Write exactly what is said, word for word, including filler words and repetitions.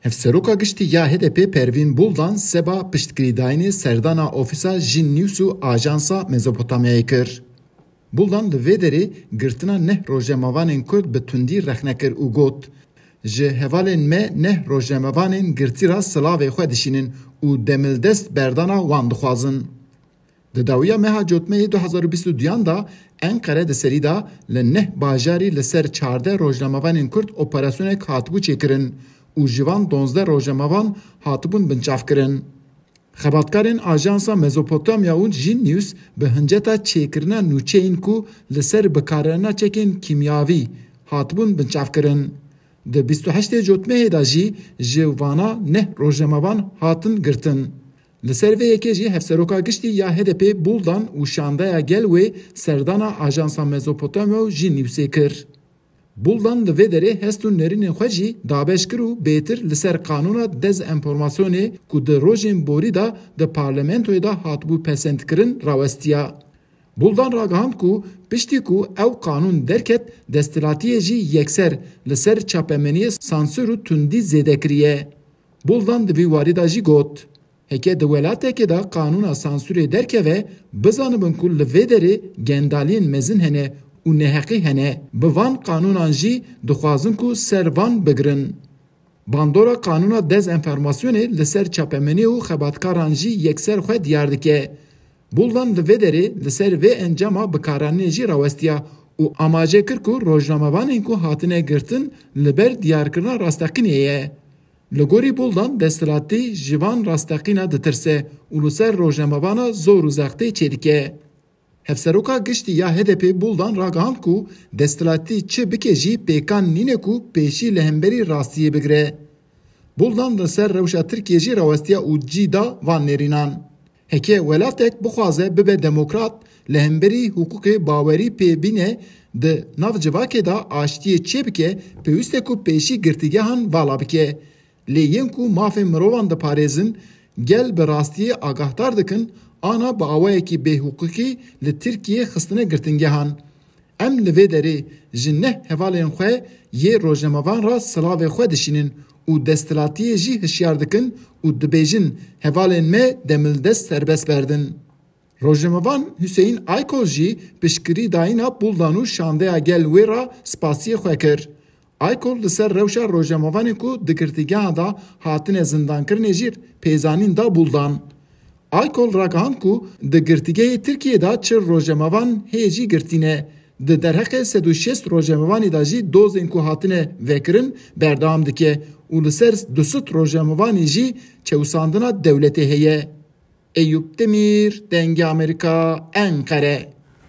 Hevseroka Giştî ya H D P Pervîn Buldan seba piştgirîdayînê serdana ofîsa Jin News û Ajansa Mezopotamyayê kir. Buldan li vê derê girtina neh rojnamevanên Kurd bi tundî rexne kir û got, Ji hevalên me neh rojnamevanên girtî re silavê xwe dişînin û demildest berdana wan dixwazin. Di dawiya meha Cotmehê du hezar û bîst û duyan de Enqere di serî de li neh bajarî li ser çardeh rojnamevanên Kurd operasyonek hatibû çêkirin û ji van donzdeh rojnamevan hatibûn binçavkirin. Xebatkarên Ajansa Mezopotamya û Jin News bi hinceta çêkirina nûçeyên ku li ser bikaranîna çekên kîmyavî hatibûn binçavkirin. Di bîst û heştê Cotmehê de jî ji vana neh rojnamevan hatin girtin. Li ser vê yekê jî Hevseroka Giştî ya H D P Buldan û şandeya gel wê serdana Ajansa Mezopotamya û Jin Newsê kir. Buldan li vê derê hest û nerînên xwe jî dabeş kir û bêtir li ser qanûna dezenformasyonê ku di rojên borî de di parlamentoyê de hatibû pesendkirin rawestiya. Buldan ragihand ku piştî ku ew qanûn derket, desthilatiyê jî yekser li ser çapemeniyê sansûr û tundî zêde kiriye. Buldan di vî warî de jî got, Heke di welatekê de qanûna sansûrê derkeve, bizanibin ku li vê derê gendaliyên mezin hene û neheqî hene. Bi van qanûnan jî dixwazin ku ser van bigirin. Bandora qanûna dezenformasyonê li ser çapemeniyê û xebatkaran jî yekser xwe diyar dike. Buldan li vê derê li ser vê encama bikaranînê jî rawestiya û amaje kir ku rojnamevanên ku hatine girtin li ber diyarkirina rasteqînê ye. Li gorî Buldan desthilatî ji van rasteqîna ditirse û li ser rojnamevana zor û zextê çêdike. Hevseroka Giştî ya H D P Buldan ragihand ku desthilatî çi bike jî pêkan nîne ku pêşî li hemberî rastiyê bigire. Buldan li ser rewşa Tirkiyê jî rawestiya û cî da van nêrînan. Heke welatek bixwaze bibe demokrat, li hemberî hiqûqê bawerî pê bîne, di nav civakê de aştiyê çêbike, pêwîst e ku pêşî girtîgehan vala bike. Lê yên ku mafên mirovan diparêzin, gel bi rastiyê agahdar dikin, ana bi awayekî bêhiqûqî li Tirkiyê xistine girtingehan. Em li vê derê ji neh hevalên xwe yê rojnamevan re silavê xwe dişînin û desthilatiyê jî hişyar dikin û dibêjin, hevalên me demildest serbest berdin. Rojnamevan Hüseyin Aykol jî piştgirî dayîna Buldan û şandeya gel wê re spasiyê xwe kir. Aykol li ser rewşa rojnamevanên ku di girtîgeha de hatine zindankirinê jî pêzanîn da Buldan. Aykol ragihand ku di girtîgehê Tirkiyê de çil rojnamevan hê jî girtî ne. Di derheqê sed û şêst rojnamevanî de jî dozên ku hatine vekirin berdewam dike û li ser du sed rojnamevanî jî çewsandina dewletê heye. Eyûp Demîr, Dengê Amerîka, Enqere.